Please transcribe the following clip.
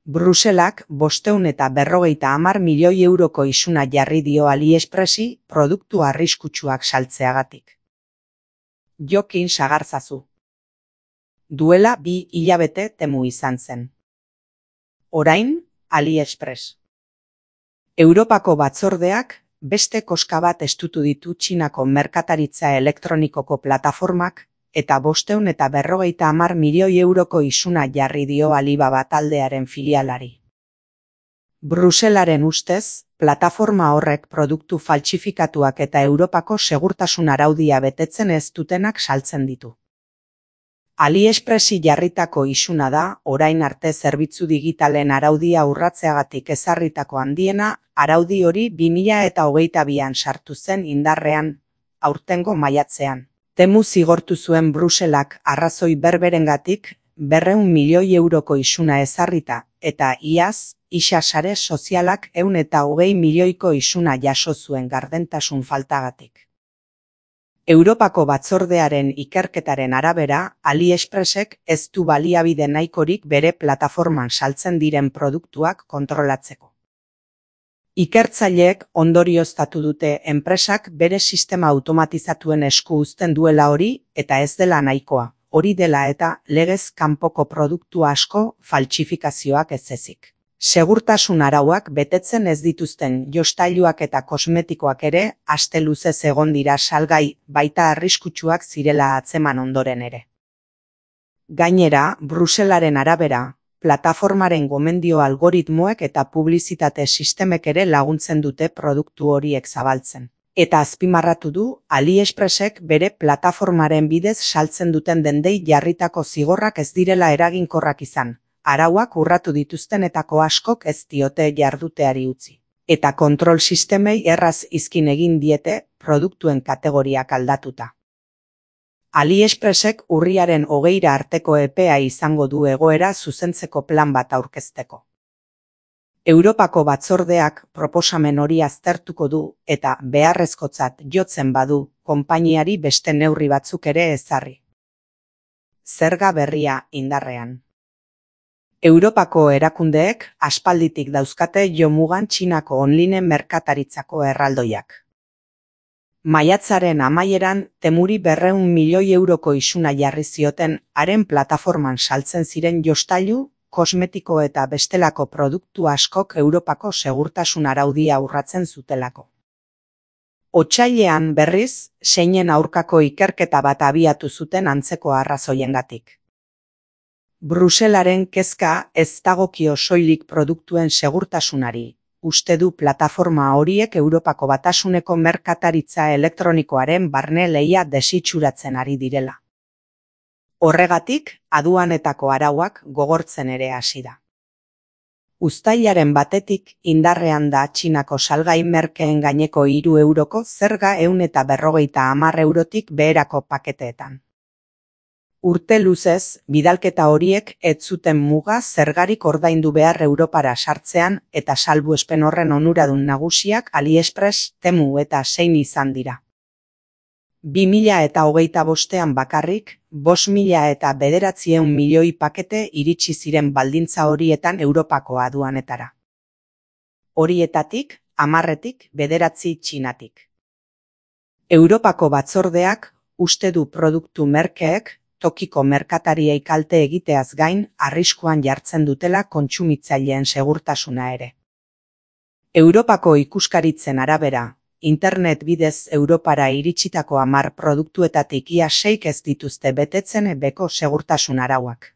Bruselak 550 milioi euroko isuna jarri dio AliExpressi produktu arriskutsuak saltzeagatik. Jokin sagartzazu. Duela 2 hilabete Temu izan zen. Orain, AliExpress. Europako batzordeak beste koska bat estutu ditu Txinako merkataritza elektronikoko plataformak eta 550 milioi euroko isuna jarri dio Alibaba taldearen filialari. Bruselaren ustez, plataforma horrek produktu faltsifikatuak eta Europako segurtasun araudia betetzen ez dutenak saltzen ditu. AliExpressi jarritako isuna da, orain arte zerbitzu digitalen araudia urratzeagatik ezarritako handiena, araudi hori 2022an sartu zen indarrean, aurtengo maiatzean. Temu zigortu zuen Bruselak arrazoi berberengatik 200 milioi euroko isuna ezarrita, eta iaz, isa sare sozialak 120 milioiko isuna jaso zuen gardentasun faltagatik. Europako batzordearen ikerketaren arabera, AliExpressek ez du baliabide nahikorik bere plataforman saltzen diren produktuak kontrolatzeko. Ikertzaileek ondorioztatu dute enpresak bere sistema automatizatuen esku uzten duela hori eta ez dela nahikoa, hori dela eta legez kanpoko produktu asko faltsifikazioak ez ezik. Segurtasun arauak betetzen ez dituzten jostailuak eta kosmetikoak ere aste luzez egon dira salgai, baita arriskutsuak zirela atzeman ondoren ere. Gainera, Bruselaren arabera, plataformaren gomendio algoritmoek eta publizitate sistemek ere laguntzen dute produktu horiek zabaltzen. Eta azpimarratu du, AliExpressek bere plataformaren bidez saltzen duten dendei jarritako zigorrak ez direla eraginkorrak izan. Arauak urratu dituztenetako askok ez diote jarduteari utzi. Eta kontrol sistemei erraz izkin egin diete produktuen kategoriak aldatuta. AliExpressek urriaren 20 arteko epea izango du egoera zuzentzeko plan bat aurkezteko. Europako batzordeak proposamen hori aztertuko du eta beharrezkotzat jotzen badu konpainiari beste neurri batzuk ere ezarri. Zerga berria indarrean. Europako erakundeek aspalditik dauzkate jomugan Txinako online merkataritzako erraldoiak. Maiatzaren amaieran Temuri 200 milioi euroko isuna jarri zioten haren plataforman saltzen ziren jostailu, kosmetiko eta bestelako produktu askok Europako segurtasun araudia urratzen zutelako. Otsailean berriz, seinen aurkako ikerketa bat abiatu zuten antzeko arrazoiengatik. Bruselaren kezka ez dagokio soilik produktuen segurtasunari, uste du plataforma horiek Europako Batasuneko merkataritza elektronikoaren barne lehia desitxuratzen ari direla. Horregatik, aduanetako arauak gogortzen ere hasi da. Uztailaren batetik indarrean da Txinako salgai merkeen gaineko 3 euroko zerga 150 eurotik beherako paketeetan. Urte luzez, bidalketa horiek ez zuten muga zergarik ordaindu behar Europara sartzean eta salbuespen horren onuradun nagusiak AliExpress, Temu eta Shein izan dira. 2025an bakarrik, 5.900 milioi pakete iritsi ziren baldintza horietan Europako aduanetara. Horietatik, 10tik 9 Txinatik. Europako batzordeak uste du produktu merkeek tokiko merkatariei kalte egiteaz gain arriskuan jartzen dutela kontsumitzaileen segurtasuna ere. Europako ikuskaritzen arabera, internet bidez Europara iritsitako 10 produktuetatik ia 6 ez dituzte betetzen beko segurtasun arauak.